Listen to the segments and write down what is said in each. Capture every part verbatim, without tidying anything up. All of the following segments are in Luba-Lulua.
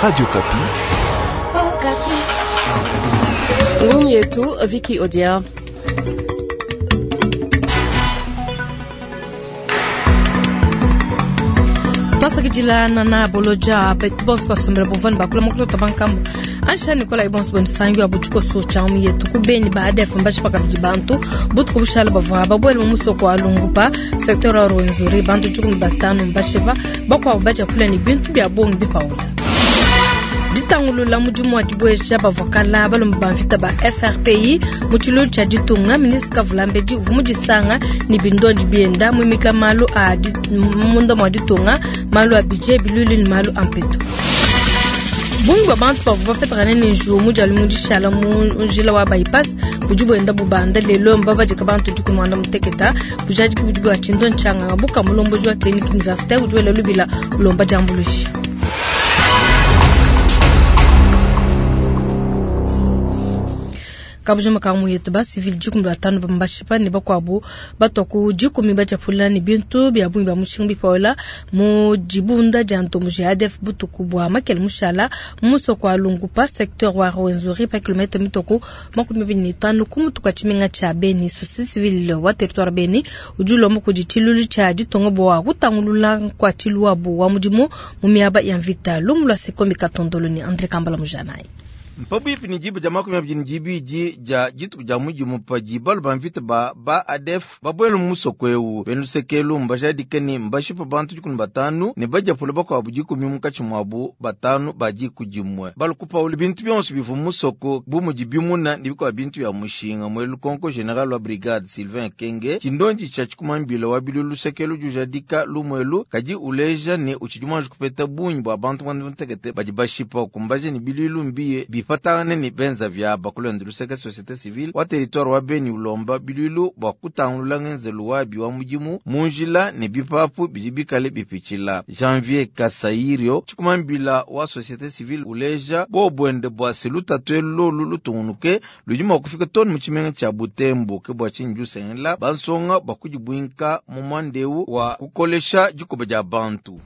Radio Okapi. Ngumu yetu Vicky Odia. Twasakidila na boloja betu bonso basombela bovani bakula mokolo bankambo ansha nikola ibonso bonisangi wa butuko so chamu yetu kubeni baada ya fumbashi pakabidi bantu butuko bushala bavwa babwele mu musoko wa Lungupa secteur wa Rwenzori bantu jukumi batano mbasheva bakwa baja kula ni bintu bya bongi bipaula ditangulula mudimu wa dibueja bavokala balomba bamvita ba F R P I mu tshilulu tshia ditunga ministre Kavulambedi uvua mudisanga ni bindondi bienda muimika malu a munda mua ditunga malu a budget bilulu ni malu a mpetu. Bungi bwa bantu bavua bapetangane ne njiwu mu dia lumingu dishala mu njila wa bypass budi buenda bubanda lelo mbabadika bantu dikumi muanda muteketa bujadiki budi bua tshindo ntshanganga buka mulomboji wa clinique universitaire udi wela lubila ulomba diambuluisha. Kabujuma ka yetu ba civil dikumi batano bambashipa ne bakwabu batoku dikumi bajapula ne bintu bya bungi bya mushinga bipaola mu dibunda dia ntomu G A D F butuku bwa makele mushala musoko wa Lungupa secteur wa Rwenzori pa kilomètre mitoko makumi abidi ne tanu ku mutuka tshimenga tshia Beni société civile wa territoire Beni udi ulomba kudi tshilulu tshia ditonga bwa kutangulula kwa tshiluabu wa mudimu mu miaba ya mvita lumu lwa Sekombi Katondolo ni André Kambala Mujanai. Mpabuipi ni jibu ja makumi abidi ni jibidi ja dituku ja mudimu padi balu ba mvita ba ba A D F babwele mu musoko ewu bena lusekelu mbajadike ni mbashipa bantu dikumi batanu ne bajapula bakuabu dikumi munkatshi muabu batanu ba diku dimue. Balu kupaula bintu bionso bivua mu musoko bu mudi bimuna ne bikuabu bintu bia mushinga. Muele lukonko general wa brigade Sylvain Kenge tshindondi tshia tshikumambila wa bilulu lusekelu jujadika lumuelu kadi uleja ne utshidi muanji kupeta bungi bua bantu muanda mutekete badi bashipa kumbaje ni bilulu mbiye bifatangane ni benza vya bakulonda luseke société civile wa territoire wa Beni ulomba bilulu bwa kutangulula ngenzelu wabi wa mudimu munjila ne bipapu bidi bikale bipitshila. Janvier Kasairio tshikumambila wa société civile uleja bobwende bwa seluta twelu lolu lutungunuke ludi mua kufika tonu mu tshimenga tshia Butembo ke bua tshinyi jusengela bansonga bua kudibwinka mu mwandeu wa kukolesha dikoba dia bantu.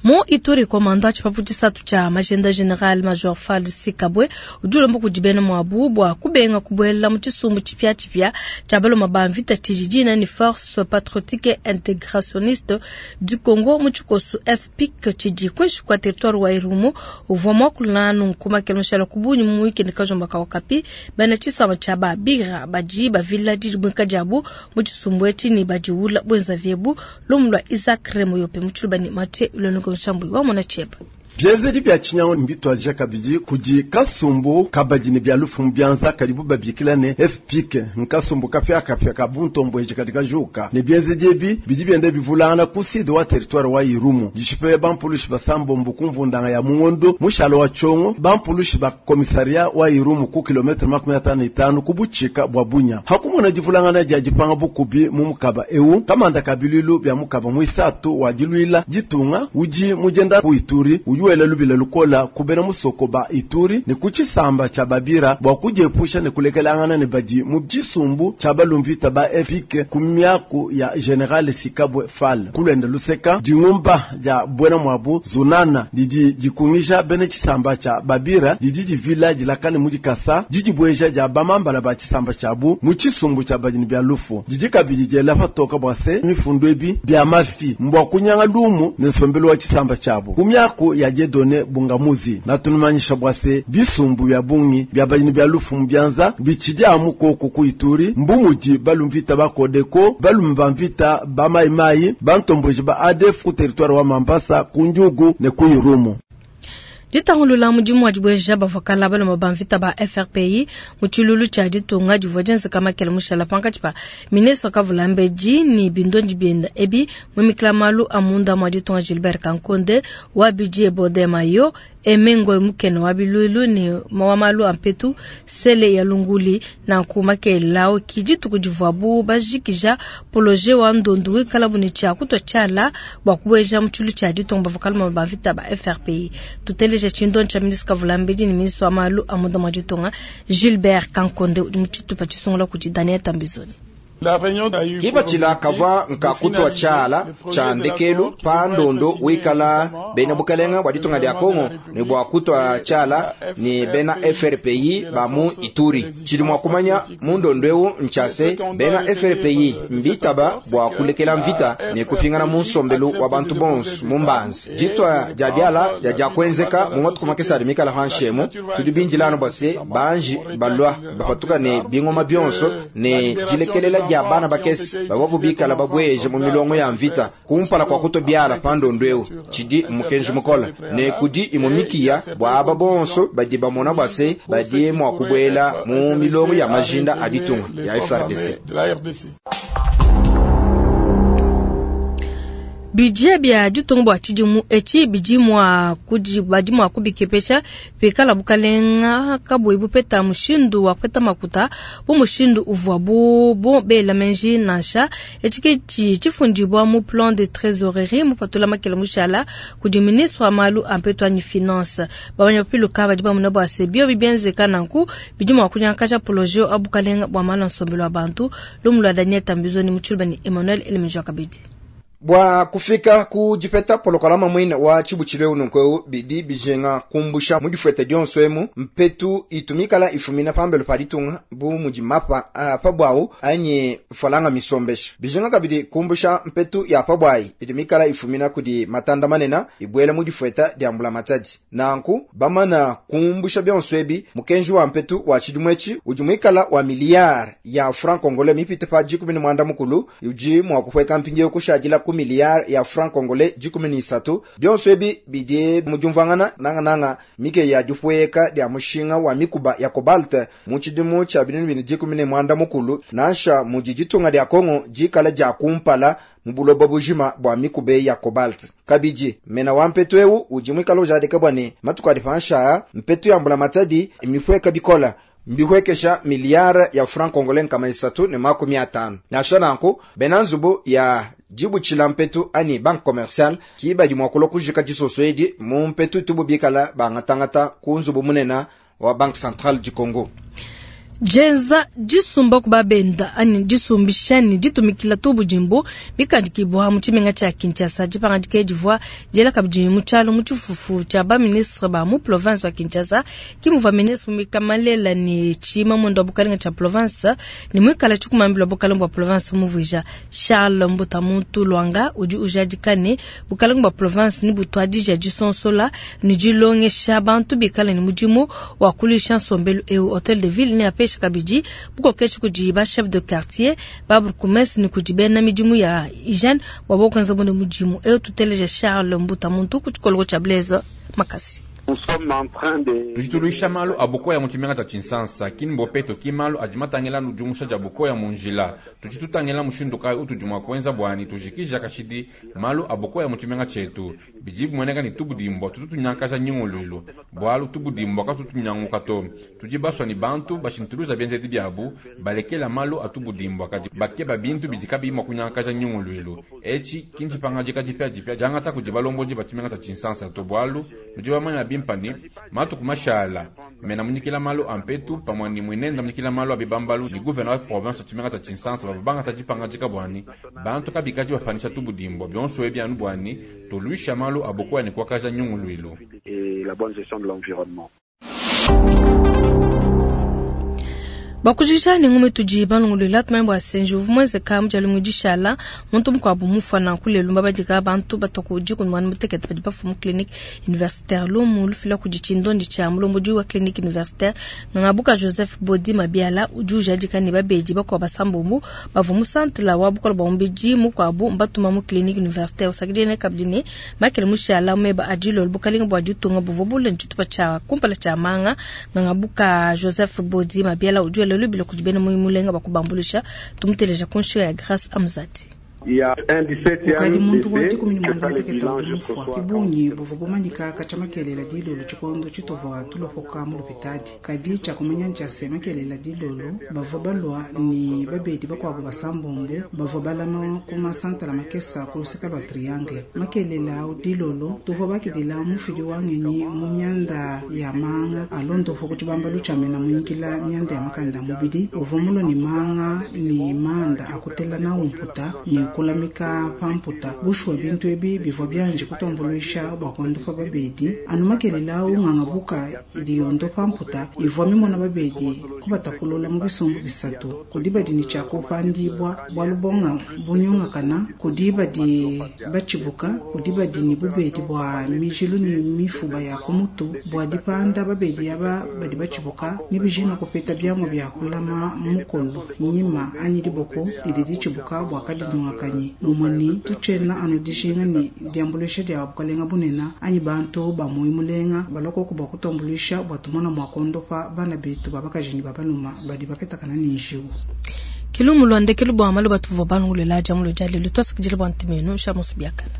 Mu Ituri komanda tshipapu tshisatu tshia magenda general major Fall Sikabwe udi ulomba kudi bena muabu bua kubenga kubuela mu tshisumbu tshipia tshipia tshia baloma ba mvita tshijijina ni force patriotique intégrationniste du Congo mu tshikosu F P I C tshidi kuinshi kua territoire wa Irumu uvua muakula nunku makele mushala kubunyi mu weekend kajomba ka Okapi bena tshisamba tshia ba Bigra badi bavila didibwinka diabu mu tshisumbu etshi ni badiwula bwenza vyebu lumu lwa Isaac Remoyope mu tshilubani Mathieu Ulongo Nshambu wa mona cheba. Bienzedi bya tshinyango mbitwaja kabidi kudi kasumbu kabadi ne bya lufu byanza kadibu babikila ne F P I C nkasumbu kafya kafya ka buntombo eji katika juka ne bienzedi ebi bidi byende bivulana ku sud wa territoire wa Irumu dishipe bampulushi basambombo kumvundanga ya mungondo mushalo wa chongo bampulushi ba komisaria wa Irumu ku kilometre makumi atano itano kubuchika bwa Bunya hakumona divulangana dia dipanga bukubi mu mukaba ewu kamanda kabililu bya mukaba mwisatu wa dilwila ditunga uji mujenda ku Ituri uyu wela lubila lukola kubena musoko ba Ituri ne kuchisamba cha Babira bwa kujiepusha ne kulekelangana ne badi mu tshisumbu cha balumvita ba F P I C ku miaku ya General Sikabwe Fall kulenda luseka dingumba ja bwena mwabu zunana didi dikungisha bene chisamba cha Babira didi divila dilakane mudikasa didi bweja ja bamambala ba chisamba chabu mu tshisumbu cha badini bya lufu didi kabidi jela patoka bwase mifundu ebi bya mafi mbwa kunyanga lumu ne nsombelo wa chisamba chabu ku miaku ya Dieudonné Bungamuzi na tunumanyisha bwase bisumbu bya bungi bya banyini bya lufu mbyanza bichidi amukoko ku Ituri mbumudi balumvita bakodeko balumva mvita ba maimai bantomboji ba A D F ku territoire wa Mambasa ku Njugu ne ku Irumu. Ditangulula mudimu wa dibweja bavokala balomba ba mvita ba F R P I mu tshilulu tshia ditunga divua dienzeka makele mushala pankatshi pa ministre Kavulambedi ni bindondi bienda ebi mumikila malu a munda mua ditunga Gilbert Kankonde wa budget Bodemayo Emengo mukene wa bilulu ni wa malu a mpetu sele ya lunguli na nkuma kelao kidituku divuabu bajikija poloje wa ndondu wikala buni tshia kutwa tshiala bua kubueja mu tshulu tshia ditunga bavokala ba mvita ba F R P I. Tuteleja tshindo tsha ministre Kavulambedi ni ministre wa malu a munda mua ditunga Gilbert Kankonde udi mu tshitupa tshisungula kudi Daniel Tambizoni. Kipatshila kavwa nkakutwa tshiala tshia ndekelu pa ndondo wikala bena bukalenga bwa ditunga dia Kongo ne bwa kutwa tshiala ne bena F R P I ba mu Ituri. Tshidi mua kumanya mu ndondo eu ntshiase bena F R P I mbitaba bwa kulekela mvita ne kupingana mu nsombelu wa bantu bonso mu mbanzi. Ditwa dia biala dia dia kuenzeka mu matuku makese adi mikala panshi emu, tudi bindila anu bua se banji balwa bapatuka ne bingoma bionso ne dilekelela dia bana bakese bavua bikala babweje mu milongo ya mvita kumpala kwa kutwa biala pa ndondo eu. Tshidi mukenji mukola ne kudi imumikiya bua aba bonso badi bamona bua se badi mua kubuela mu milongo ya majinda a ditunga ya F R D C. Budget bia ditunga bua tshidimu etshi bidi mua kudi badi mua kubikepesha pikala bukalenga kabuyi bupeta mushindu wa kupeta makuta bu mushindu uvua bu bo bela menji nansha etshi ke tshi tshifundibwa mu plan de trésorerie mupatula makela mushala kudi ministre wa malu a mpetu anyi finance babanya piluka badi bamuna bua se bio bibienzeka nanku bidi mua kunyankaja projet wa bukalenga bua malu a nsombelu wa bantu lumu lwa Daniel Tambizo ni mutshilba ni Emmanuel Elemijwa kabidi. Bwa kufika ku dipeta polokalama mwine wa tshibutshilu eu nunku bidi bijenga kumbusha mu difuete dionso emu mpetu itumikala ifumina pambelo pa ditunga bu mudi mapa a pabwawu anyi falanga misombesha bijenga kabidi kumbusha mpetu ya pabwayi itumikala ifumina kudi matanda manena ibwela mu difueta dia mbula matadi nanku bamana kumbusha bionso ebi mukenji wa mpetu wa tshidimwetshi udi mwikala wa miliyari ya franc congolais mipite pa dikumi ne mwanda mukulu udi mua kuhweka mpindieu kushadila ku miliyari ya franc congolais dikumi ne isatu bionso ebi bidi mu diumvuangana nangananga mike ya dipueka dia mushinga wa mikuba ya cobalt mu tshidimu tshia binunu bine dikumi ne mwanda mukulu nansha mudi ditunga dia Kongo dikala dia kumpala mu buloba bujima bua mikube ya cobalt. Kabidi mena wa mpetu eu udi mwikala ujadika bua ne matuku adi pansha mpetu ya mbula matadi imipueka bikola mbihwekesha miliyari ya franc congolais nkama isatu ne makumi atano. Nansha nanku bena nzubu ya dibutshila mpetu ani banque commerciale kibadi mua kulua kujika disoso edi mu mpetu tubu bikala bangatangata ku nzubu munena wa Banque Centrale du Congo. Jenza disumba kubabenda ani disumbishani ditumikila tubu jimbo bikandikibwa mu tshimenga tshia Kinshasa dipangadika divua diela kabidi mu tshialo mu tshifufu tshia ba ministre ba mu province wa Kinshasa kimuvua ministre Mikamalela ne tshima mwendo wa bukalenga tshia province ne mwikala tshikumambila bukalenga bua province muvuija Charles Mbutamuntu Lwanga udi ujadika ne bukalenga bua province ni butwadija disonsola ni dilongesha bantu bikala ne mudimu wa kulisha nsombelu eu hotel de ville ne apesha kabidi bukokeshi kudi ba chef de quartier ba bourgmestre ni kudi bena midimu ya hygiène bua bokwenza bune mudimu eu tuteleja Charles Mbutamuntu ku tshikoloko tshia Blaise Makasi. Tujituluisha malu abukoya mu tshimenga tshia Tshinsansa kini mbopeto ki malu adi matangela nudiumusha dia bukoya mu njila tuchitutangela mushindu kayi utudi mua kuenza bwani tujikija kashidi malu abukoya mu tshimenga tshietu bidi bimueneka ni tubudimbwa tututunyankaja nyinguluilu bwalu tubudimbwa katutunyanguka to tudi baswa ni bantu bashintuluza bienzedi biabu balekela malu atubudimbwa kadi bakeba bintu bidi kabiyi mua kunyankaja nyinguluilu etshi kinjipangajika dipiadipia diangata kudi balombodi ba tshimenga tshia Tshinsansa to bwalu nudi bamanya bimpani matuku mashala mena munyikila malu ampetu pamwe ni mwinenda munyikila malu abibambalu ni gouverneur wa province tshimenga tshia Tshinsansa babangata dipangajika bwani bantu kabikaji bafanisha tubudimbwa bionso ebi anu bwani toluisha malu abokoya ni kwakaja nyunguluilu et la bonne gestion de l'environnement. Bakujisha ni ngume tudi balongolola tumanye bua senji uvua muenzeka mu dia dishala muntu mukuabu mufana kulelu mbabadika bantu batoku dikumi muanda mutekete badi bafuma mu clinique universitaire lumu lufila kudi tshindondi tshia mulombodi wa clinique universitaire Ngangabuka Joseph Bodi Mabiala udi ujadika ne babedi bakuabu basambombo bavua mu centre wa bukola bua mubidi mukuabu mbatuma mu clinique universitaire usakidile ne kabidi ne Michael Mushala meba adilolo bukalenga bua ditunga buvua bule tshitupa tshia kumpala tshia manga Ngangabuka Joseph Bodi Mabiala udi lubilo kudi bena mulenga bakubambulisha tumuteleja kunshika ya Grace Amzati. Kukadi muntu wa dikumi ne muanda muteketa udi mufua ki bungi buvua bumanyika katshia makelela dilolo tshikondo tshituvua tulopoka mu lupitadi. Kadi tshia kumanya ntshia se makelela dilolo bavua balua ni babedi bakuabu basambombo bavua balama ku masantala makesa ku luseka lua Triangle. Makelela au dilolo tuvua bakidila mufidi wa ngenyi mu mianda ya manga a londopo ku tshibambalu tshia mena munyikila mianda ya makanda a mubidi uvua mulua ni manga ni manda akutela nawu mputa ni kulamika pa mputa. Bushuwa bintu ebi bivua bianji kutuambuluisha bua kuondopa babedi anu makelela au nganga buka idi yondopa mputa ivua mimona babedi kubatapulula mu bisumbu bisatu kudi badi ni tshia kupandibua bualu bonga bunyungakana kudi badi batshibuka kudi badi ni bubedi bua mijilu ni mifuba ya kumutu bua dipanda babedi aba badi batshibuka ni bijinga kupeta biamua bia kulama mukolo nyima anyi diboko didi ditshibuka bua kadinyungakanyi mumue ni tutshena anu dijinga ni diambuluisha dia bukalenga bunena anyi bantu ba moyo mulenga balua koku bua kutuambuluisha bua tumona mua kuondopa bana betu ba bakaji ne ba baluma badi bapetakana ne njiwu. Kilumu lwa ndekelu bua malu batuvua balongolela dia mulo dia lelu twasakidila bua ntemenu sha musu biakana.